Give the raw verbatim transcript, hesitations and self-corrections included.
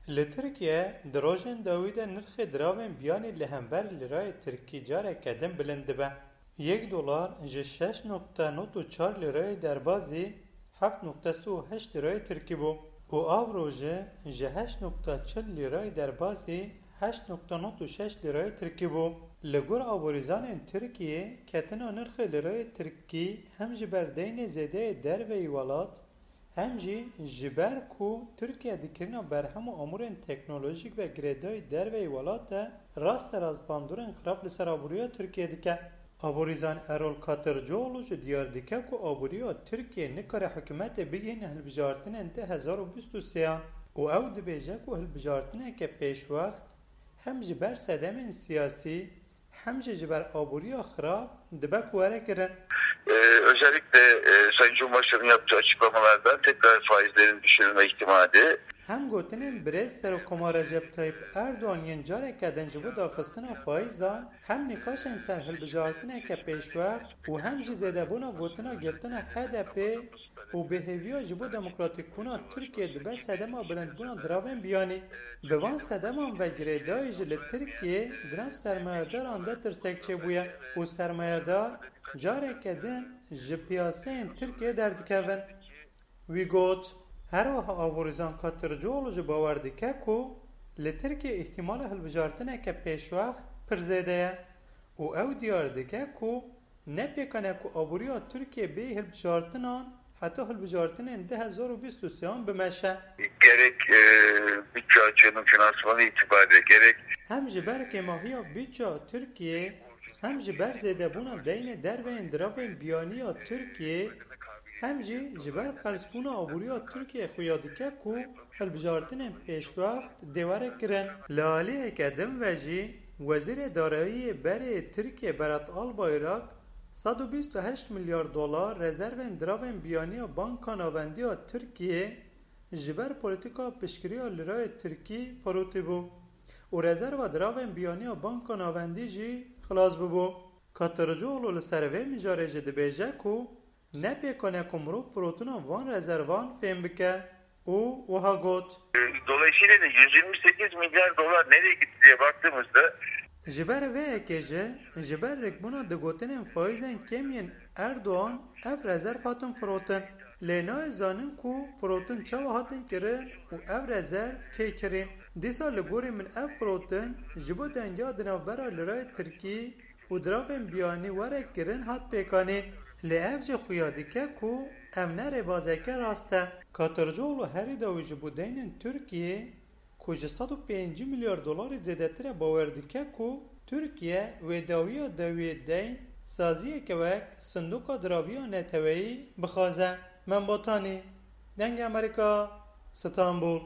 Li Tirkiye di rojên dawî de nirxê diravên biyanî li hember lîrayê tirkî careke din bilind dibe. Yek dolar ji şeş nokta nod û çar lîrayê derbazî heft nokta sî û heşt lîrayê tirkî bû û avro jî ji heşt nokta çil lîrayê derbazî heşt nokta nod û şeş lîrayê tirkî bû. Li gor aborîzanên Tirkiyê, ketina nirxê lîrayê tirkî hem ji ber deynê zêdeyê derveyî welat, hem jî ji ber ku Tirkiye di kirina berhem û amûrên teknolojîk ve girêdayî derveyî welat de rasterast bandorên xirab li ser aboriya Tirkiye dike. Aborîzan Erol Katırcıoğlu jî diyar dike ku aboriya Tirkiye nikare hikûmetê bigihîne hilbijartinên du hezar û bîst û sêyan û ew dibêje ku hilbijartineke pêşwext hem ji ber sedemên siyasî, hem jî ji ber aboriya xirab dibe ku were kirin. Ee, özellikle e, Sayın Cumhurbaşkanı'nın yaptığı açıklamalardan tekrar faizlerin düşürülme ihtimali. Hem gotinên birêz Serokkomar Recep Tayyip Erdogan yên careke din ji bo daxistina faizan, hem nîqaşên ser hilbijartineke pêşwext û hem jî zêdebûna gotina girtina H D P û bêhêviya ji bo demokratîkbûna Tirkiye dibe sedema bilindbûna diravên biyanî. Bi van sedeman ve girêdayî jî li Tirkiye di nav sermayedaran de tirsek çêbûye û sermayedar careke din ji piyaseyên Tirkiye derdikevin. Wî got, her wiha aborîzan Katırcıoğlu jî bawer dike ku li Tirkiye îhtîmala hilbijartineke pêşwext pir zêde ye û ew diyar dike ku ne pêkan e ku aboriya Tirkiye bêyî hilbijartinan heta hilbijartinên du hezar û bîst û sêyan bimeşe. Gerek e, bütçe açığının finansmanı itibariyle gerek Hem ji ber kêmahiya bîdca Tirkiye, hem ji ber zêdebûna deynê derveyên diravên biyanî ya Tirkiye, hem jî ji ber qelsbûna aboriya Tirkiye xuya dike ku hilbijartinên pêşwext dê were kirin. Li aliyeke din ve jî, Wezîrê Darayiyê berê Tirkiye Berat Albayrak sed û bîst û heşt milyar dolar rezervên diravên biyaniya Banka Navendî ya Tirkiye ji ber polîtîka piştgiriya lîrayê tirkî firotîbû û rezerva diravên biyaniya Banka Navendî jî xilas bibû. Katırcıoğlu li ser vê mijarê jî dibêje ku ne pêkan e ku mirov firotina van rezervan fêm bike û wiha got. Dolayısıyla da yüz yirmi sekiz milyar dolar nereye gitti diye baktığımızda Ji ber vê yekê jî, ji ber rikbûna di gotinên faîzên kêm yên Erdogan ev rezerv hatin firotin. Lê nayê zanîn ku firotin çawa hatin kirin û ev rezerv kê kirîn. Dîsa li gorî min ev firotin ji bo dengiya di navbera lirayê tirkî û diravên biyanî were kirin hat pêkanîn. Lê ev jî xuya dike ku ev ne rêbazeke rast e. Katırcıoğlu herî dawî ji bo deynên Tirkiyê ku ji sed û pêncî milyar dolarî zêdetir e bawer dike ku Tirkiye wê dawiya dawiyê deyn saziyeke wek Sindoka Diraviya Neteweyî bixwaze. Membatanî, Dengê Amerîka, Stenbul.